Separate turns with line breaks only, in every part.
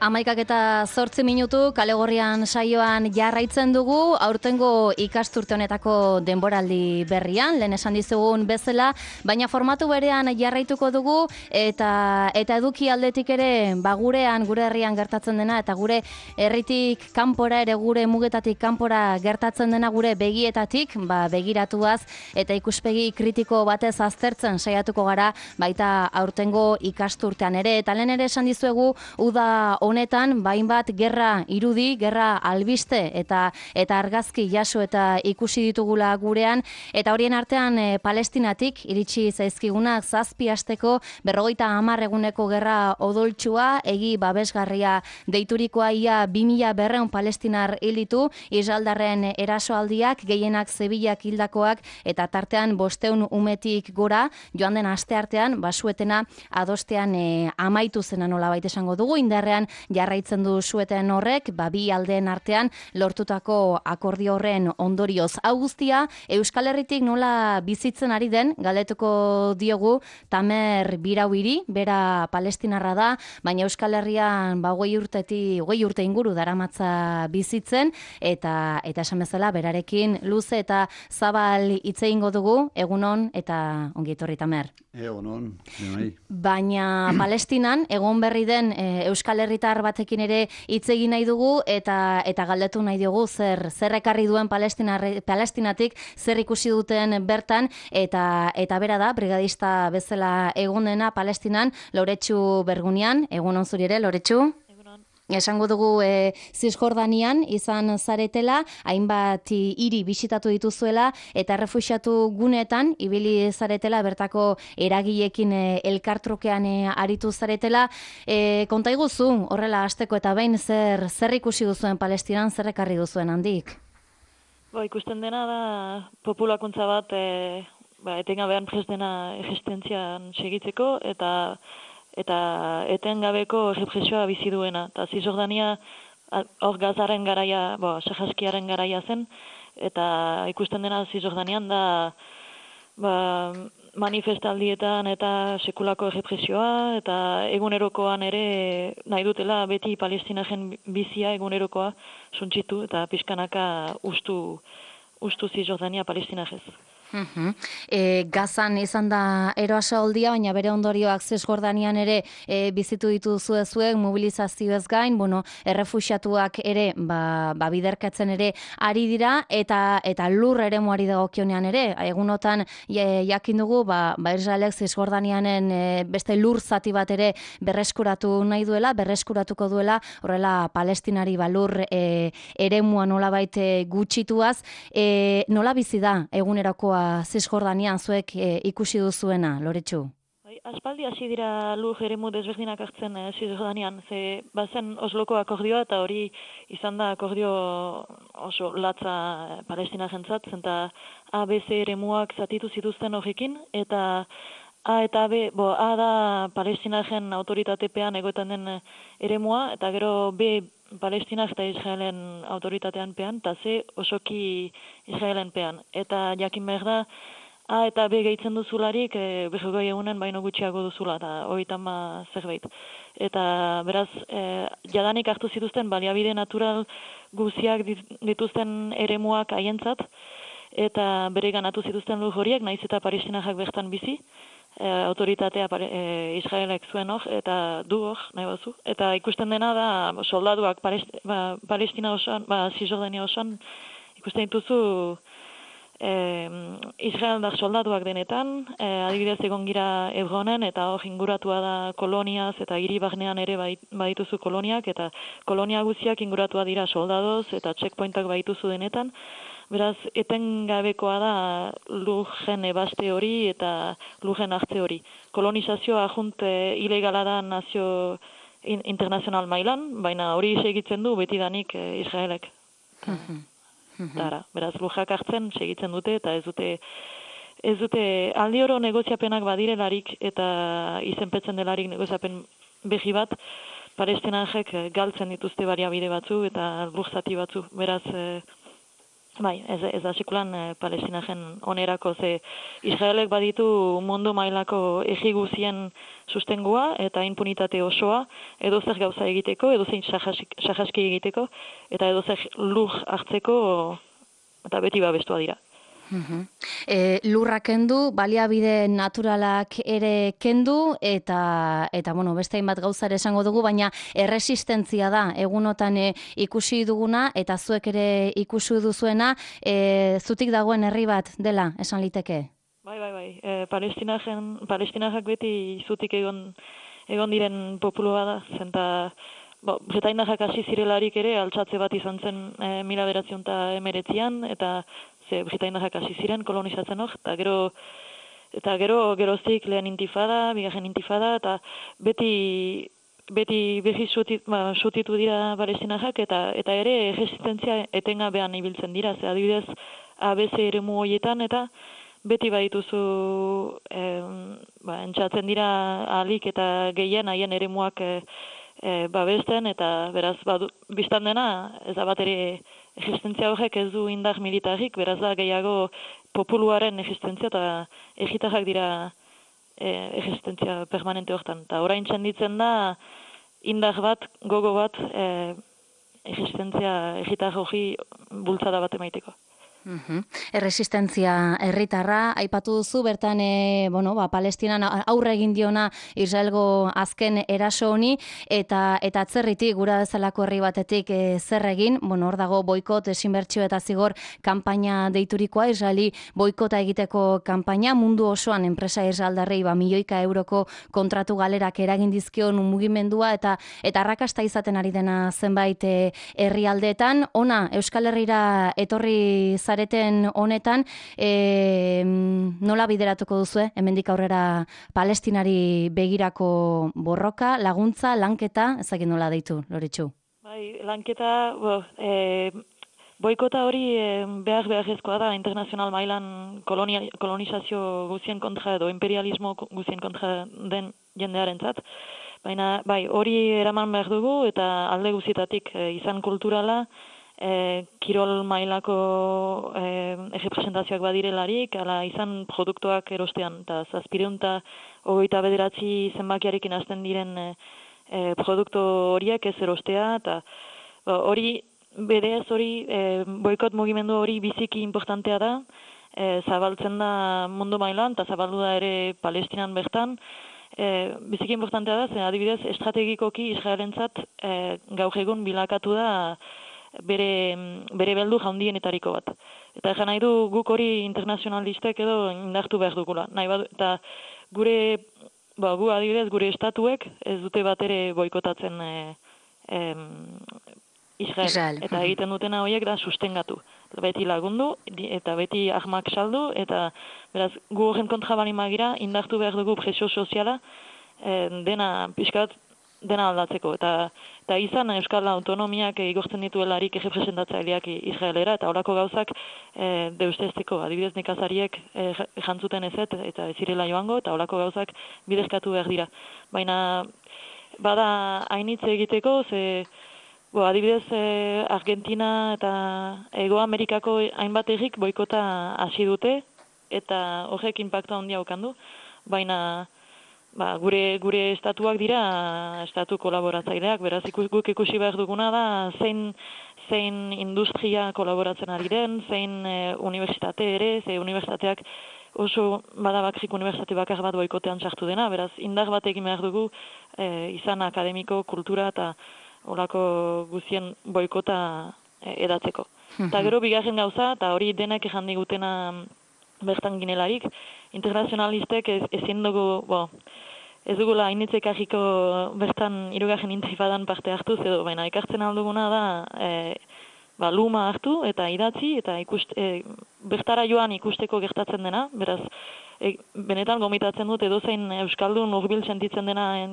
11:08 Kale Gorrian saioan jarraitzen dugu, aurtengo ikasturte honetako denboraldi berrian, lehen esan dizugun bezala, baina formatu berean jarraituko dugu eta eduki aldetik ere, gure herrian gertatzen dena eta gure herritik kanpora ere gure mugetatik kanpora gertatzen dena gure begietatik, begiratuaz eta ikuspegi kritiko batez aztertzen saiatuko gara baita aurtengo ikasturtean ere, eta lehen ere esan dizuegu uda honetan, hainbat gerra irudi, gerra albiste eta argazki jaso eta ikusi ditugula gurean, eta horien artean Palestinatik iritsi zaizkigunak 7 asteko 50 eguneko gerra odoltsua, egi babesgarria deiturikoa ia 2200 palestinar hil ditu, israeldarren erasoaldiak, gehienak Sevillak hildakoak, eta tartean 500 umetik gora, joan den asteartean, suetena adostean amaitu zena nolabait esango dugu, indarrean jarraitzen du sueten horrek, bi aldeen artean lortutako akordio horren ondorioz. Hau guztia, Euskal Herritik nola bizitzen ari den, galdetuko diogu Tamer Birauiri, bera palestinarra da, baina Euskal Herrian 20 urte inguru daramatza bizitzen, eta esan bezala berarekin luze eta zabal hitz egingo dugu, egunon eta ongi etorri Tamer.
Egunon,
baina Palestinan egon berri den Euskal Herritar batekin ere hitz egin nahi dugu eta galdetu nahi diogu zer ekarri duen Palestinatik, zer ikusi duten bertan, eta bera da, brigadista bezala egon dena Palestinan, Loretsu Bergunian. Egunon zuri ere, Loretsu? Esango dugu Zisjordanian izan zaretela, hainbat hiri bisitatu dituzuela eta errefuxiatu gunetan ibili zaretela, bertako eragileekin elkartrukean aritu zaretela. Konta iguzu, horrela hasteko eta behin zer ikusi duzuen Palestinan, zer ekarri duzuen handik?
Ikusten dena da populakuntza bat etengabean prest dena existentzian segitzeko eta etengabeko represioa bizi duena. Eta Zisjordania hor Gazaren garaia, Sahaskiaren garaia zen, eta ikusten dena Zisjordanian da manifestaldietan eta sekulako represioa, eta egunerokoan ere nahi dutela beti palestinaren bizia egunerokoa suntsitu eta pixkanaka ustu Zisjordania palestinarez.
Gazan izan da eroasaldia, baina bere ondorioak Zisjordanian ere bizitu dituzu zuek, mobilizazioez gain, errefuxiatuak ere biderkatzen ere ari dira, eta lur eremuari dagokionean ere, egunotan jakin dugu, Israelek Zisjordanianen beste lur zati bat ere berreskuratuko duela, horrela Palestinari lur eremua nolabait gutxituaz. Nola bizi da egunerakoa Zisjordanian zuek ikusi duzuena, Loretsu?
Aspaldi hasi dira lur eremu desberdinak hartzen Zisjordanian, ze bazen Osloko akordioa, eta hori izan da akordio oso latza palestinarentzat, zenta ABC eremuak zatitu zituzten horrekin, eta A eta B, A da palestinaren autoritatepean egoetan den eremua, eta gero B Palestinak eta Israelen autoritatean pean, eta C osoki Israelen pean. Eta jakin behar da, A eta B gehitzen duzularik, berrogoi egunen baino gutxiago duzula, eta horietan zerbait. Eta beraz, jadanik hartu zituzten baliabide natural guziak dituzten eremuak haientzat, eta bere ganatu zituzten lur horiek, naiz eta palestinarrak bertan bizi, autoritatea Israelek zuen hor, eta du hor, nahi bazu. Eta ikusten dena da, soldaduak Palestina osoan, Zisjordania osoan, ikusten dituzu Israeldar soldaduak denetan, adibidez egon gira Hebronen, eta hor inguratua da koloniaz, eta hiri barnean ere badituzu koloniak, eta kolonia guziak inguratua dira soldadoz, eta checkpointak badituzu denetan. Beraz, etengabekoa da lujen ebaste hori eta lujen hartze hori. Kolonizazioa ajunt ilegala da nazio internazional mailan, baina hori segitzen du betidanik Israelek. Beraz, lujak hartzen segitzen dute, eta ez dute aldi oro negoziapenak badirelarik eta izenpetzen delarik negoziapen behi bat, palestinarrek galtzen dituzte baliabide batzu eta lujzati batzu. Beraz, Bai, ez da sekulan palestinaren onerako, ze Israelek baditu mundu mailako egi guzien sustengua eta impunitate osoa edozer gauza egiteko, edozein sahaski egiteko, eta edozer lur hartzeko eta beti babestua dira.
Lurra kendu, baliabide naturalak ere kendu, eta bueno, beste hainbat gauza ere esango dugu, baina erresistentzia da, egunotan ikusi duguna, eta zuek ere ikusi duzuena, zutik dagoen herri bat dela, esan liteke?
Bai. Palestinarrak beti zutik egon diren populua da, zenta Bretainarrak hasi zirelarik ere altsatze bat izan zen 1919an, eta Britainarrak hasi ziren kolonizatzen hor, eta geroztik lehen intifada, bigarren intifada, eta beti berriz sutitu dira palestinarrak, eta ere resistentzia etengabean ibiltzen dira, ze adibidez ABC eremu horietan, eta beti badituzu entxatzen dira ahalik eta gehien haien eremuak babesten, eta beraz biztan dena, ez da bat ere existentzia horrek ez du indar militarrik, beraz da gehiago populuaren existentzia eta egitarrak dira existentzia permanente hortan. Eta orain txenditzen da indar bat, gogo bat existentzia egitar hori bultzada bat emaiteko.
Erresistentzia herritarra aipatu duzu, bertan Palestinan aurre egin diona Israelgo azken eraso honi, eta atzerritik gura bezalako herri batetik zer egin, hor dago boikot, desinbertsio eta zigor kanpaina deiturikoa, Israeli boikota egiteko kanpaina, mundu osoan enpresa israeldarrei milioika euroko kontratu galerak eragin dizkion mugimendua, eta arrakasta izaten ari dena zenbait herrialdeetan. Ona, Euskal Herrira etorri zareten honetan, nola bideratuko duzue, hemendik aurrera Palestinari begirako borroka, laguntza, lanketa, ezagik nola deitu, Loritxu?
Bai, lanketa, boikota hori beharrezkoa da internazional mailan kolonizazio guzien kontra edo imperialismo guzien kontra den jendearentzat. Baina, bai, hori eraman behar dugu, eta alde guztietatik izan kulturala, kirol mailako errepresentazioak badirelarik, ala izan produktuak erostean, eta 729 zenbakiarekin hasten diren produktu horiek ez erostea, eta hori, berez hori, boikot mugimendu hori biziki importantea da, zabaltzen da mundu mailan, eta zabaldu da ere Palestinan bertan, biziki importantea da, zen adibidez estrategikoki Israelentzat gaur egun bilakatu da bere beldu jaundienetariko bat. Eta egan nahi du guk hori internazionalistek edo indartu behar dugula. Eta gu adibidez gure estatuek ez dute bat ere boikotatzen Israel. Eta egiten dutena horiek da sustengatu. Beti lagundu eta beti ahmak saldu, eta beraz gu horren kontra bali magira indartu behar dugu presio soziala dena aldatzeko, eta izan Euskal Autonomiak igortzen dituelarik errepresentatzaileak Israelera, eta horako gauzak deustezteko, adibidez nekazariek jantzuten ezet, eta ez zirela joango, eta horako gauzak bidezkatu behar dira. Baina, bada hainitze egiteko, adibidez Argentina eta Ego Amerikako hainbat errik boikota hasi dute, eta horrek inpaktu handia okandu, baina gure estatuak dira estatu kolaboratzaileak, beraz guk ikusi behar duguna da zein industria kolaboratzen ari den, zein unibertsitate ere, ze unibertsitateak oso badabakrik unibertsitate bakar bat boikotean sartu dena, beraz indar bat egin behar dugu izan akademiko, kultura eta horako guzien boikota edatzeko. Eta gero bigarren gauza, eta hori denak ejan digutena bertan ginelarik, internazionalistek ezin dugu, ez dugula hainitzek ahiko bertan hirugarren intifadan parte hartuz edo, baina ekartzen alduguna da luma hartu eta idatzi, eta bertara joan ikusteko gertatzen dena, beraz, benetan gomitatzen dut edozein Euskaldun urbil sentitzen dena,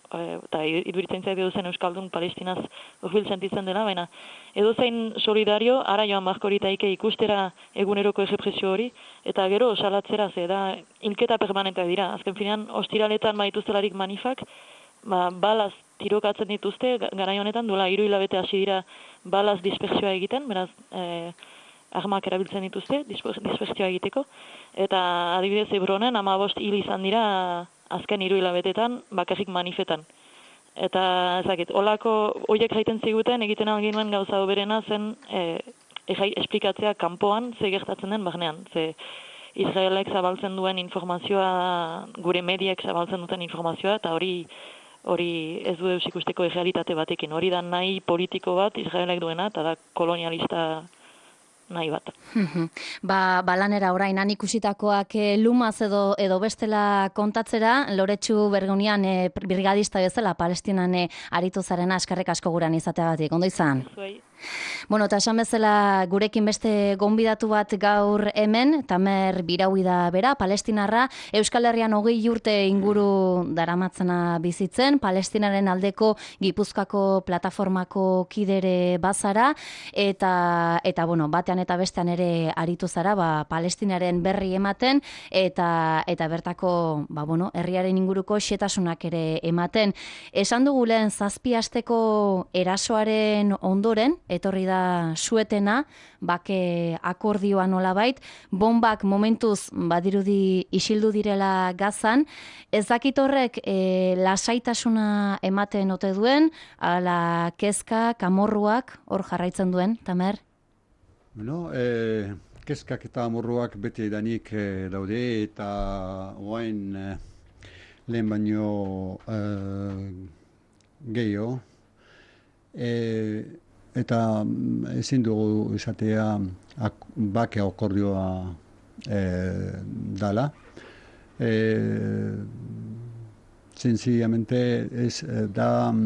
eta iduritzen zait edozein Euskaldun Palestinaz urbil sentitzen dena, baina edozein solidario ara joan barkoritaike ikustera eguneroko errepresio hori, eta gero salatzera, ze da hilketa permanenteak dira. Azken finean, ostiraletan baituztelarik manifak, balaz tirokatzen dituzte, garai honetan duela 3 hilabete hasi dira balaz dispersioa egiten, beraz, armak erabiltzen dituzte, dispertsioa egiteko, eta adibidez Hebronen 15 hil izan dira azken 3 hilabetetan bakarrik manifetan. Eta ezakit, horiek jaiten ziguten egiten alginuen gauza oberena zen esplikatzea kanpoan ze gertatzen den barnean. Ze Israelek zabaltzen duen informazioa, gure mediek zabaltzen duten informazioa, eta hori ez du deus ikusteko errealitate batekin. Hori da nahi politiko bat Israelek duena, eta da kolonialista nahi bat.
Lanera orain han ikusitakoak lumaz edo bestela kontatzera, Loretsu Bergunian brigadista bezala Palestinan aritu zarena, eskerrik asko guran izateagatik. Ondo izan? Bueno, eta esan bezala gurekin beste gonbidatu bat gaur hemen, Tamer Biraui da bera, palestinarra, Euskal Herrian 20 urte inguru daramatzena bizitzen, Palestinaren aldeko Gipuzkoako plataformako kidere bazara, eta bueno, batean eta bestean ere aritu zara, Palestinaren berri ematen, eta bertako, herriaren inguruko xetasunak ere ematen. Esan dugu lehen 7 asteko erasoaren ondoren, etorri da suetena, bake akordioa nolabait, bombak momentuz badirudi isildu direla Gazan, ez dakit horrek lasaitasuna ematen ote duen, ala kezka, kamorruak hor jarraitzen duen, Tamer?
Bueno, kezkak eta amorruak beti edanik daude, eta oain lehen baino gehiago, eta ezin dugu izatea bake akordioa dala. Sencillamente ez da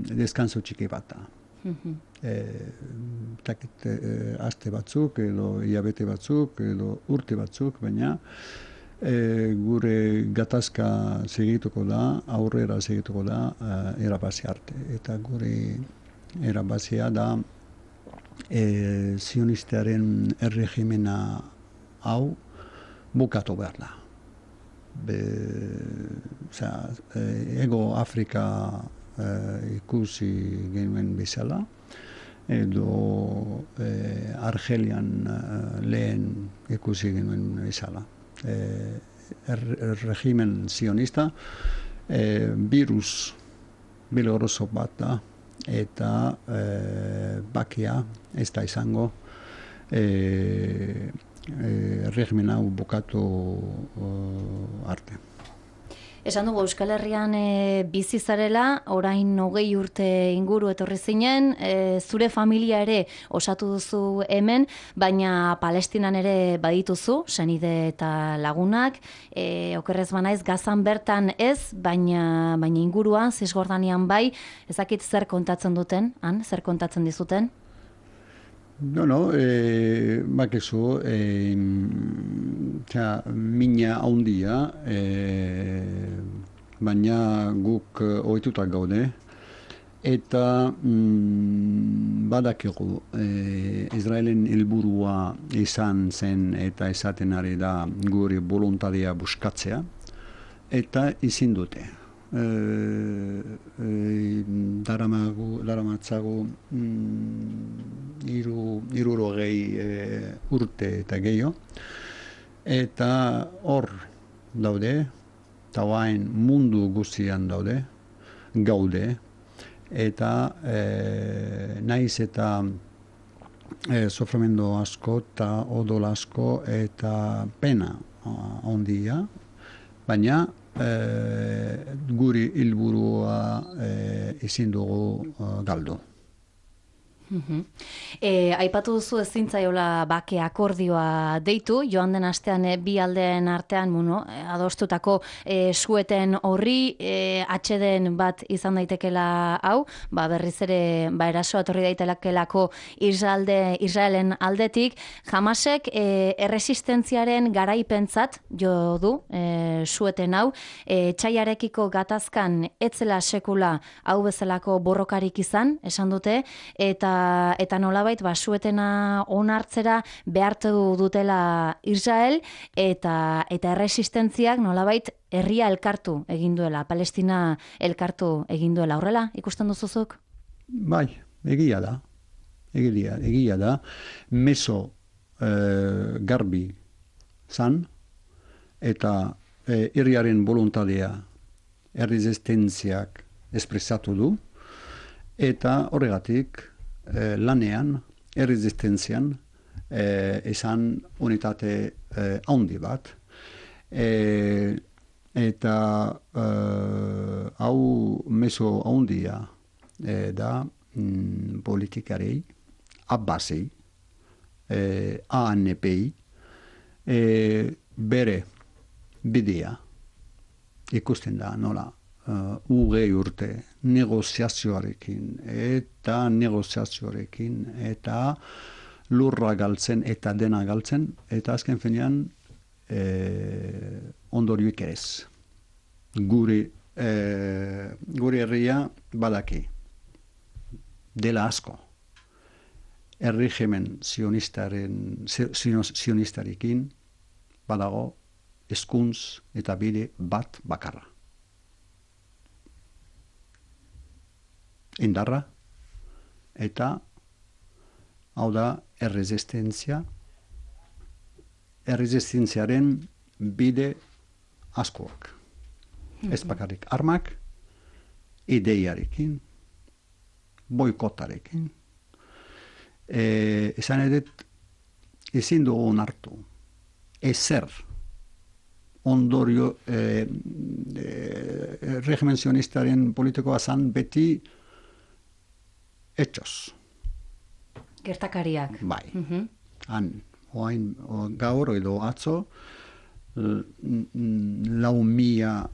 descanso txiki bat. Aste batzuk, edo hilabete batzuk, edo urte batzuk, baina gure gatazka segituko da, aurrera segituko da, erabazi arte. Eta gure erabazia da zionistearen erregimena hau bukatu behar da. Ego Afrika ikusi genuen bezala, edo Argelian lehen ikusi genuen bezala. Erregimen zionista virus biloroso bat da, eta bakia ez da izango regimena bukatu arte.
Esan dugu Euskal Herrian bizi zarela, orain 20 urte inguru etorri zinen, zure familia ere osatu duzu hemen, baina Palestinan ere badituzu, senide eta lagunak, okerrez banaiz Gazan bertan ez, baina inguruan, Zisjordanian bai, ezakit zer kontatzen duten, zer kontatzen dizuten?
Bakizu, mina handia, baina guk ohitutak gaude, eta badakigu Israelen helburua izan zen eta esaten ari da gure boluntaria buskatzea, eta ezin dute. Daramatzagu 60 urte eta gehiago, eta hor daude, eta hain mundu guztian gaude, eta naiz eta sofrimento asko eta odol asko eta pena handia, baina guri helburua ezin dugu galdu.
Aipatu duzu ezin zaiola bake akordioa deitu, joan den astean bi aldeen artean adostutako sueten horri atxeden bat izan daitekela hau, berriz ere erasoa etorri daitekelako Israelen aldetik. Hamasek erresistentziaren garaipentzat jo du sueten hau, txaiarekiko gatazkan etzela sekula hau bezalako borrokarik izan, esan dute, eta nolabait suetena onartzera behartu dutela Israel, eta erresistentziak nolabait herria elkartu egin duela, Palestina elkartu egin duela. Horrela, ikusten duzuzuk?
Bai, egia da. Meso garbi zan, eta herriaren volontadea erresistentziak espresatu du, eta horregatik lanean, erresistentzian, esan unitate handi bat, eta hau meso handia da politikarei, Abbasi, ANPI, bere bidea ikusten da, nola, urte negoziazioarekin eta lurra galtzen eta dena galtzen, eta azken finean ondorioik ez. Gure herria badaki dela asko. Erregimen sionistarekin badago eskuntz eta bide bat bakarra. Indarra eta hau da erresistentziaren bide askoak. Ez bakarrik armak, ideiarekin, boikotarekin. Esan edet, ezin dugu onartu. Ezer ondorio regimen sionistaren politikoa zan beti etxos.
Gertakariak.
Bai. Oain gaur edo atzo, 4.000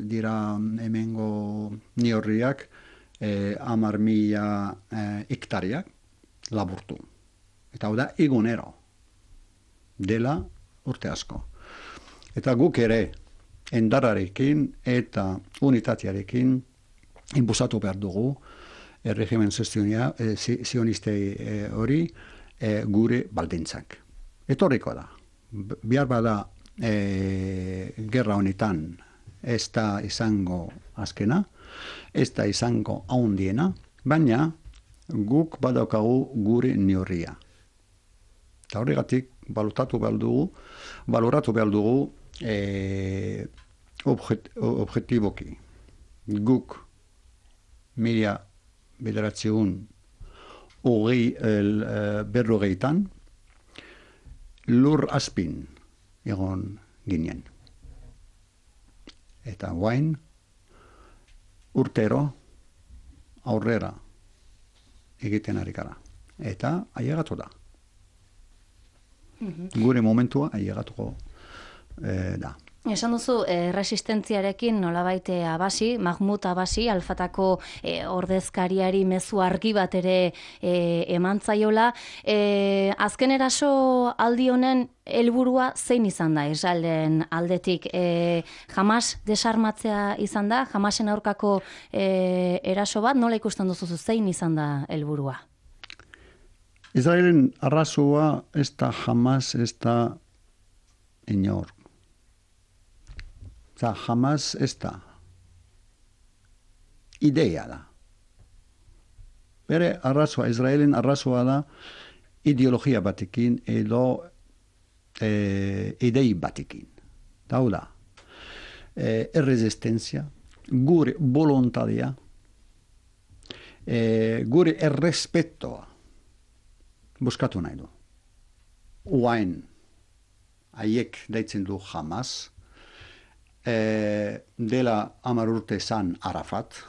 dira hemengo niorriak, 10.000 hektariak laburtu. Eta hau da egunero dela urte asko. Eta guk ere endararekin eta unitatearekin inpusatu behar dugu erregimen sionistei hori gure baldintzak. Etorriko da. Bihar bada gerra honetan ez da izango azkena, ez da izango handiena, baina guk badaukagu gure neurria. Eta horregatik baloratu behar dugu objektiboki. Guk 1940 lur azpin egon ginen. Eta guain urtero aurrera egiten ari gara. Eta ailegatu da. Gure momentua ailegatuko da.
Esan duzu, resistentziarekin nolabait Abbasi, Mahmud Abbasi, Alfatako ordezkariari mezu argi bat ere eman zaiola. Azken eraso aldi honen helburua zein izan da Israelen aldetik? Hamas desarmatzea izan da? Hamasen aurkako eraso bat? Nola ikusten duzu zein izan da helburua?
Israelen arrazoa ez da Hamas, ez da inor. Eta Hamas ez da. Ideia da. Bere arrazoa, Israelen arrazoa da ideologia batekin edo idei batekin. Hau da. Erresistentzia, gure volontadea, gure errespetoa buskatu nahi du. Uain, haiek deitzen du Hamas, dela 10 urte zan Arafat,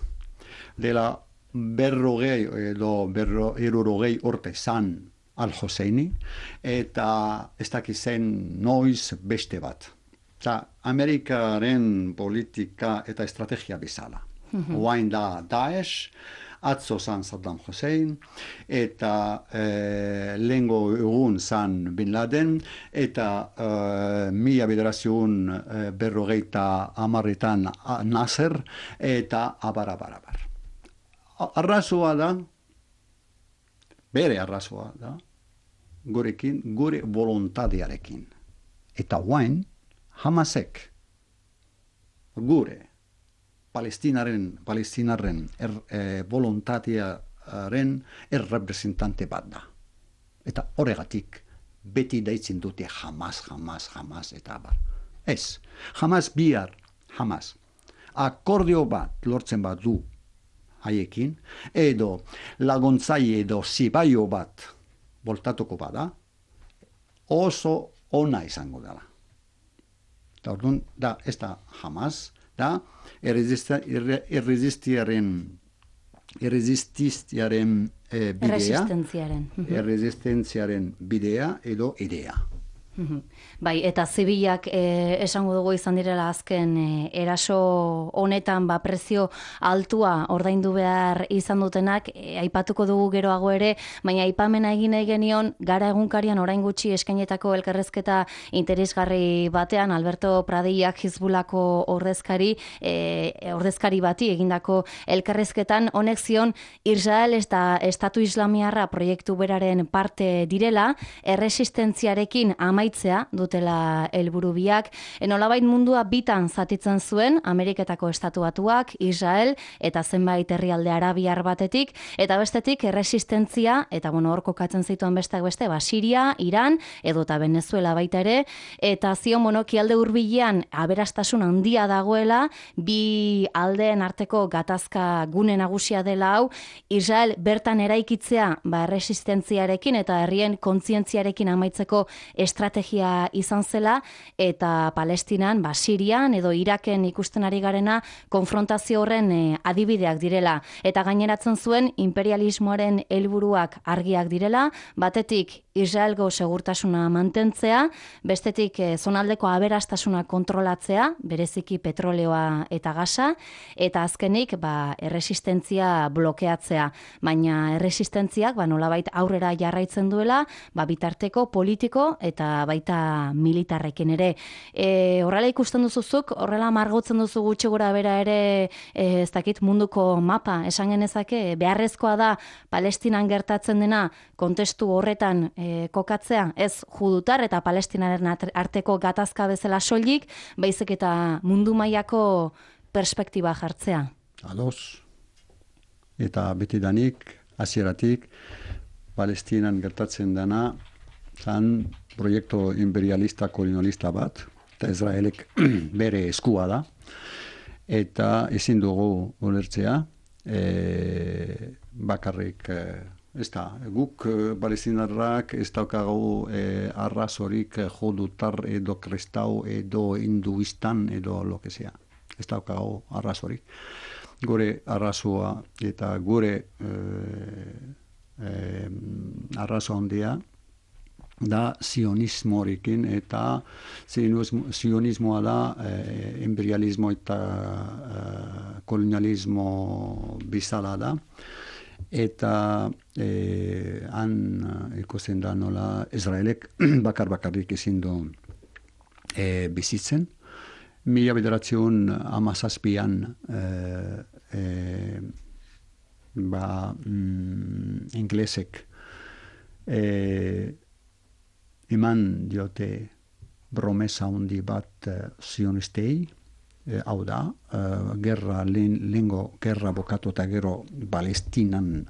dela 50 urte zan Al-Husseini, eta ez dakizen noiz beste bat. Eta Amerikaren politika eta estrategia bezala. Uain da Daesh, atzo zan Saddam Hussein, eta lehengo egun zan Bin Laden, eta 1950 Nasser, eta abar. Arrazoa da, bere arrazoa da, gurekin, gure volontadearekin. Eta guain, Hamasek, gure, Palestinaren volontatearen representante bat da. Eta horregatik beti daitzen dute Hamas, eta abar. Ez, Hamas bihar, Hamas. Akordio bat lortzen bat du haiekin, edo laguntzai edo zibaio bat voltatuko bada, oso ona izango dela. Eta orduan, da, ez da Hamas, da, erresistiaren bidea, erresistentziaren bidea edo idea.
Bai, eta zibilak esango dugu izan direla azken eraso honetan prezio altua ordaindu behar izan dutenak, aipatuko dugu geroago ere, baina aipamena egin nahi genion Gara egunkarian orain gutxi eskainetako elkarrezketa interesgarri batean Alberto Pradillak Hizbulako ordezkari bati egindako elkarrezketan honek zion Israel eta Estatu Islamiarra proiektu beraren parte direla, erresistentziarekin amaitzea dutela helburu biak. Nolabait mundua bitan zatitzen zuen, Ameriketako Estatu Batuak, Israel eta zenbait herrialde arabiar batetik, eta bestetik erresistentzia, eta hor kokatzen zituen besteak beste, Siria, Iran, edota Venezuela baita ere, eta zion kialde hurbilean aberastasun handia dagoela, bi aldeen arteko gatazka gune nagusia dela hau, Israel bertan eraikitzea erresistentziarekin eta herrien kontzientziarekin amaitzeko estrategia izan zela, eta Palestinan, Sirian edo Iraken ikusten ari garena konfrontazio horren adibideak direla. Eta gaineratzen zuen imperialismoaren helburuak argiak direla, batetik Israelgo segurtasuna mantentzea, bestetik zonaldeko aberastasuna kontrolatzea, bereziki petroleoa eta gasa, eta azkenik erresistentzia blokeatzea. Baina erresistentziak nolabait aurrera jarraitzen duela, bitarteko politiko eta baita militarrekin ere. Horrela ikusten duzuzuk, horrela margotzen duzu gutxi gora bera ere, ez dakit munduko mapa, esan genezake, beharrezkoa da Palestinan gertatzen dena kontestu horretan kokatzea, ez judutar eta palestinaren arteko gatazka bezala soilik, baizik eta mundu mailako perspektiba jartzea.
Ados. Eta betidanik, hasieratik, Palestinan gertatzen dena, zan proiektu imperialista kolonialista bat, eta Israelek bere eskua da, eta ezin dugu ulertzea, bakarrik ez da, guk palestinarrak ez daukagu arrazorik judutar edo kristau edo hinduistan edo lo que sea. Ez daukagu arrazorik. Gure arrazoa eta gure arrazo handia da sionismorekin, eta sionismoa da imperialismo eta kolonialismo bizala da. Eta han ikusten da nola Israelek bakarrik ezin du bizitzen. 1917an inglesek eman diote promesa handi bat sionistei, hau da, lehengo gerra bokatu eta gero Palestinan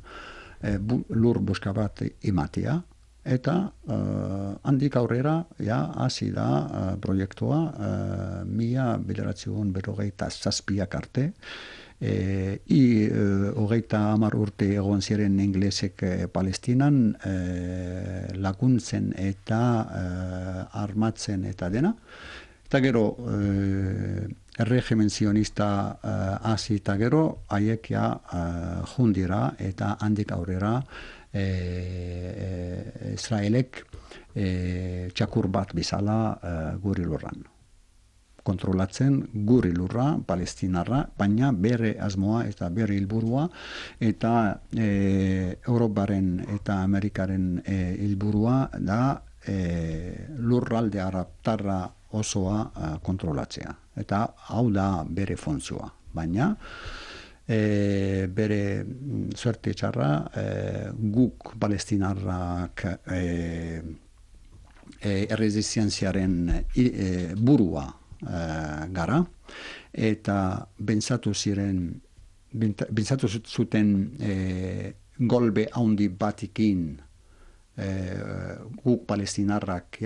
lur buska bat ematea, eta handik aurrera hasi da proiektua 1957 arte, hogeita 10 urte egon ziren inglesek Palestinan laguntzen eta armatzen eta dena. Eta gero erregimen zionista hasi eta gero haiek jundira eta handik aurrera Israelek txakur bat bizala guri lurran. Kontrolatzen guri lurra, palestinarra, baina bere asmoa eta bere helburua eta Europaren eta Amerikaren helburua da lurralde arabtarra osoa kontrolatzea. Eta hau da bere funtzioa. Baina bere suerte txarra guk palestinarrak erresistenziaren burua gara, eta bentsatu zuten golbe handi batikin guk palestinarrak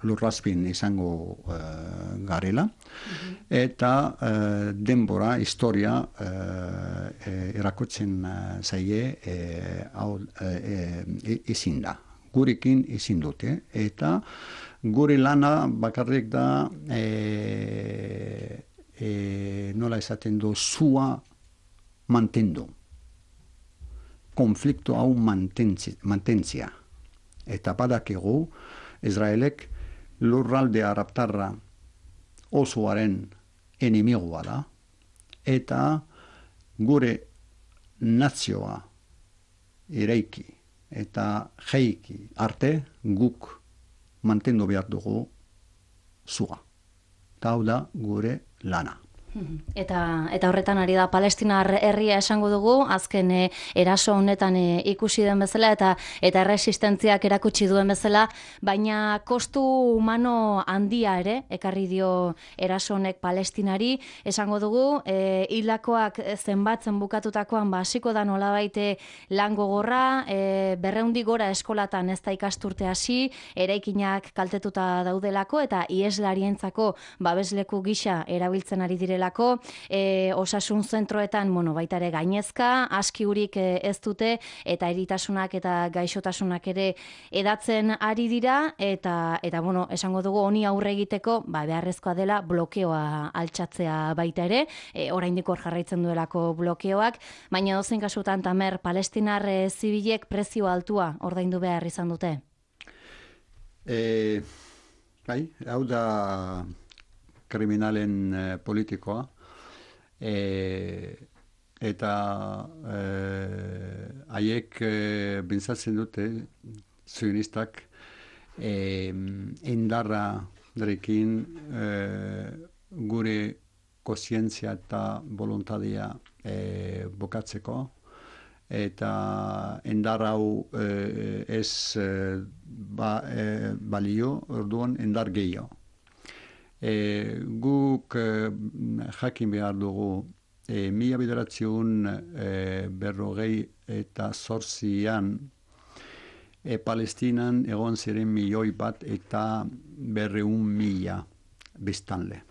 lurrazpin izango garela, eta denbora, historia erakotzen zaie ezin da. Gurekin ezin dute, eta gure lana bakarrik da nola esaten du, zua mantendu. Konflikto hau mantentzia. Eta badakigu, Israelek lurralde arabtarra osoaren enemigoa da, eta gure nazioa eraiki eta jaiki arte guk mantendu behar dugu zua. Eta hau da gure lana.
Eta horretan ari da Palestinar herria esango dugu, azken eraso honetan ikusi den bezala eta erresistentziak erakutsi duen bezala, baina kostu humano handia ere, ekarri dio eraso honek Palestinari, esango dugu, hildakoak zenbatzen bukatutakoan hasiko da nolabait lan gogorra, 200 gora eskolatan ez da ikasturte hasi, eraikinak kaltetuta daudelako eta ieslarientzako babesleku gisa erabiltzen ari direla. Osasun zentroetan baita ere gainezka, askiurik ez dute eta eritasunak eta gaixotasunak ere edatzen ari dira eta esango dugu honi aurre egiteko beharrezkoa dela blokeoa altxatzea baita ere, oraindik hor jarraitzen duelako blokeoak, baina dozein kasutan Tamer, palestinar zibilek prezio altua ordaindu behar izan dute?
Hau da kriminalen politikoa, eta haiek bintzatzen dute, zionistak, indarra derekin gure kontzientzia eta voluntatea bukatzeko, eta indar hau ez balio, orduan indar gehiago. Guk jakin behar dugu 1948an Palestinan egon ziren 1.000.000 eta 200.000 biztanle.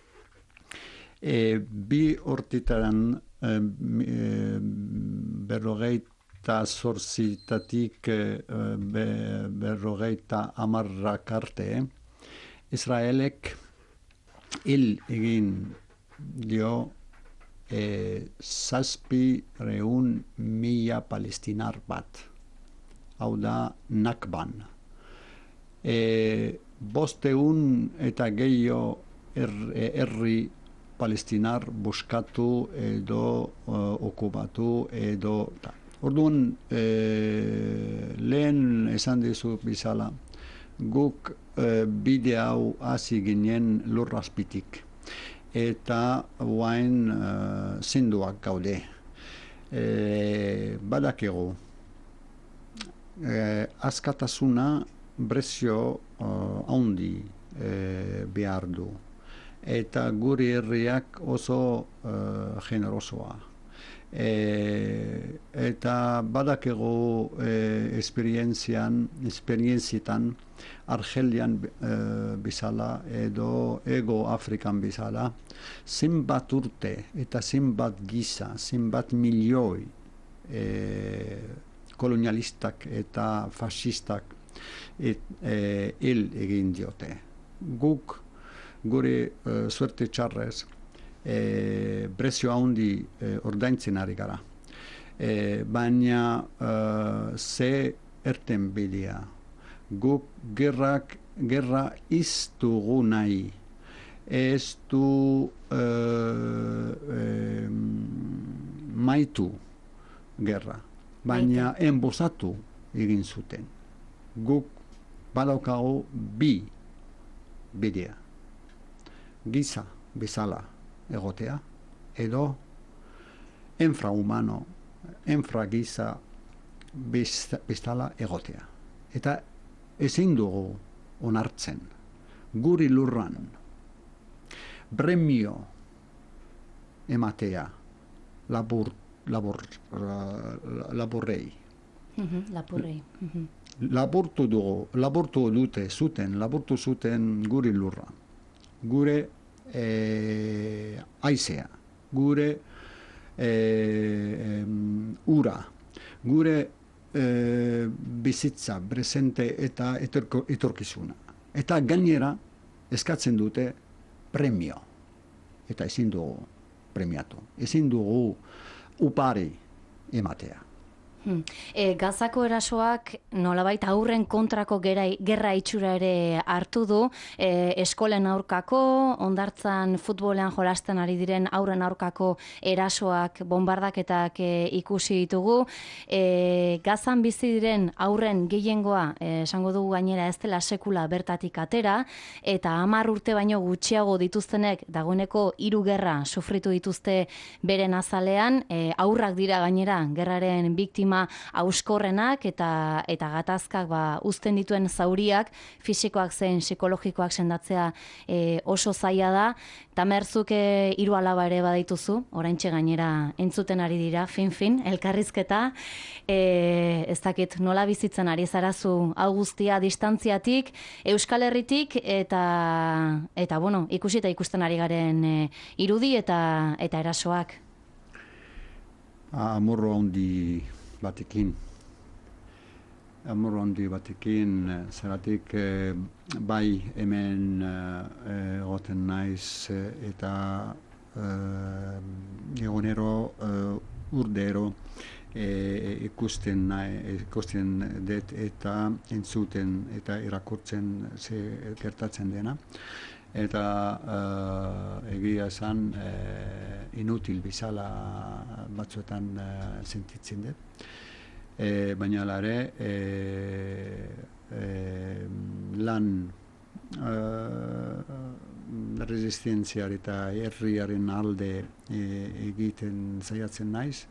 Bi hortitaran 48tatik 50 arte Israelek hil egin dio 700.000 palestinar bat. Hau da Nakban. 500 eta gehiago herri palestinar buskatu edo okupatu edo... Orduan, lehen esan dizu bizala, guk bide hau hasi ginen lurrazpitik. Eta guain zenduak gaude. Badakigu, askatasuna prezio handi behar du. Eta guri herriak oso generosoa. Eta badakigu esperientzietan Argelian bizala edo Ego Afrikan bizala zenbat urte eta zenbat giza, zenbat milioi kolonialistak eta fascistak hil egin diote. Guk gure suerte txarrez prezio handi ordaintzen ari gara. Baina ze erten bidea. Guk gerra iztugu nahi. Ez du maitu gerra. Baina enbosatu egin zuten. Guk badaukagu bi bidea. Giza bezala egotea, edo infrahumano, infragiza bezala egotea. Eta ezin dugu onartzen, guri lurran, premio ematea laburrei,
Lapurri.
Laburtu zuten gure lurra, gure aizea, gure ura, gure bizitza, presente eta etorkizuna. Eta gainera eskatzen dute premio. Eta ezin dugu premiatu. Ezin dugu upari ematea.
Gazako erasoak nolabait aurren kontrako gerra itxura ere hartu du, eskolen aurkako, hondartzan futbolean jolasten ari diren aurren aurkako erasoak, bombardaketak ikusi ditugu. Gazan bizi diren aurren gehiengoa, esango dugu gainera ez dela sekula bertatik atera, eta 10 urte baino gutxiago dituztenek dagoeneko 3 gerra sufritu dituzte beren azalean, aurrak dira gainera gerraren biktima auskorrenak eta gatazkak uzten dituen zauriak, fisikoak zein psikologikoak sendatzea oso zaila da. Tamerzuk 3 alaba ere badituzu, oraintxe gainera entzuten ari dira, fin, elkarrizketa. Ez dakit nola bizitzen ari zarazu hau guztia distantziatik, Euskal Herritik, eta bueno, ikusi eta ikusten ari garen irudi eta erasoak.
Amorro handi batekin, zeratik bai hemen egoten naiz eta egunero urdero ikusten dut eta entzuten eta irakurtzen ze gertatzen dena. Eta egia esan inutil bizala batzuetan sentitzen dut. Baina ere lan resistentziar eta herriaren alde egiten saiatzen naiz.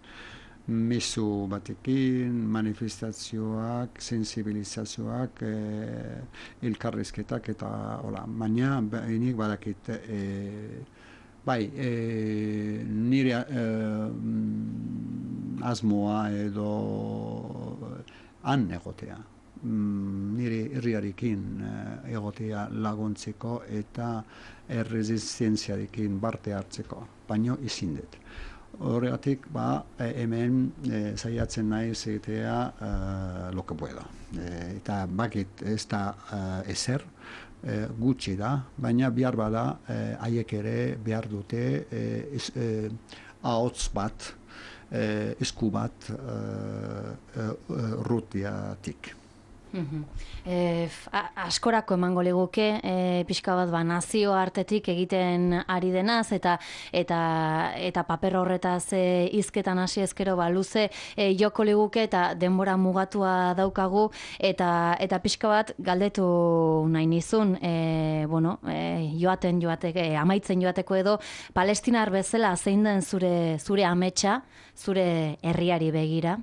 Mezu batekin, manifestazioak, sensibilizazioak, elkarrizketak eta hola. Baina nik badakit nire asmoa edo han egotea. Nire herriarekin egotea laguntzeko eta erresistentziarekin parte hartzeko, baino ezin dut. Horregatik, hemen saiatzen naiz egitea lo que puedo. Eta bakit ez da ezer, gutxi da, baina behar bada haiek ere behar dute ahots bat, esku bat rutiatik.
Askorako emango liguke, pixka bat nazio artetik egiten ari denaz, eta paper horretaz hizketan hasi ezkero luze joko liguke eta denbora mugatua daukagu, eta pixka bat galdetu nahi nizun, amaitzen joateko edo, palestinar bezala zein den zure ametsa, zure herriari begira,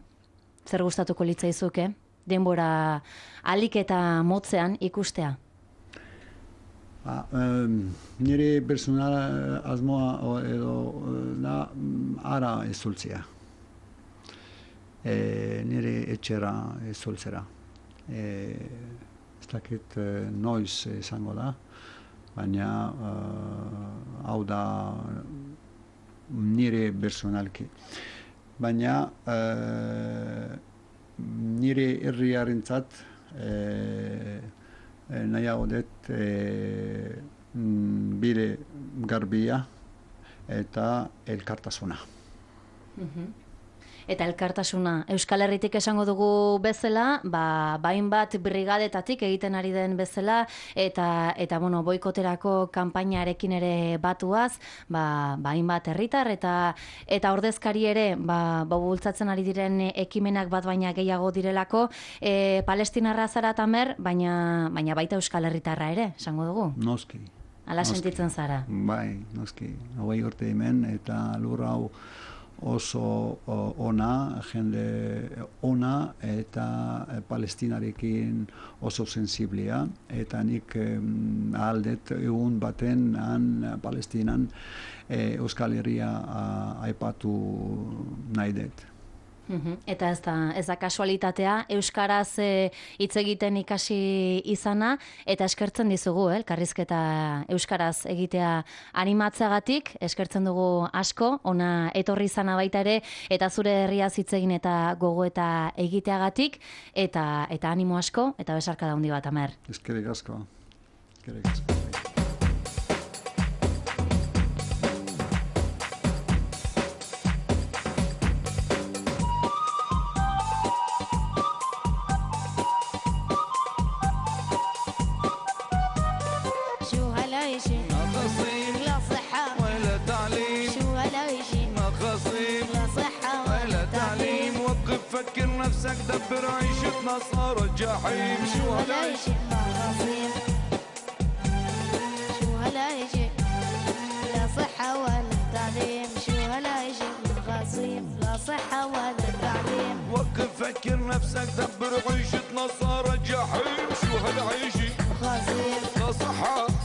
zer gustatuko litzaizuke? Denbora alik eta motzean ikustea?
Nire personal asmoa edo da ara ezultzea. Nire etxera ezultzera. Ez dakit noiz izango da, baina hau da nire personalki. Baina nire herriarentzat nahiago dut bide garbia eta elkartasuna.
Eta elkartasuna. Euskal Herritik esango dugu bezala, hainbat brigadetatik egiten ari den bezala, eta boikoterako kanpainarekin ere batuaz, hainbat herritar eta ordezkari ere, bultzatzen ari diren ekimenak bat baina gehiago direlako, palestinarra zara Tamer, baina baita Euskal Herritarra ere, esango dugu?
Noski.
Hala sentitzen zara?
Bai, noski. 20 urte hemen, eta lur hau oso ona, jende ona eta palestinarekin oso sensiblea, eta nik aldet egun baten Palestinan Euskal Herria aipatu nahi dut.
Eta ez da kasualitatea, euskaraz hitz egiten ikasi izana, eta eskertzen dizugu, elkarrizketa euskaraz egitea animatzeagatik, eskertzen dugu asko, ona etorri izana baita ere, eta zure herriaz hitz egin eta gogoeta egiteagatik, eta animo asko, eta besarka handi bat, Amer.
Eskerrik asko. Eskerrik asko.
فكر نفسك دبر عيشتنا صار الجحيم شو هلا يجي مخاصيم شو هلا يجي لا صحة ولا تعليم شو هلا يجي مخاصيم لا صحة ولا تعليم وقف فكر نفسك دبر عيشتنا صار الجحيم شو هلا يجي مخاصيم لا صحة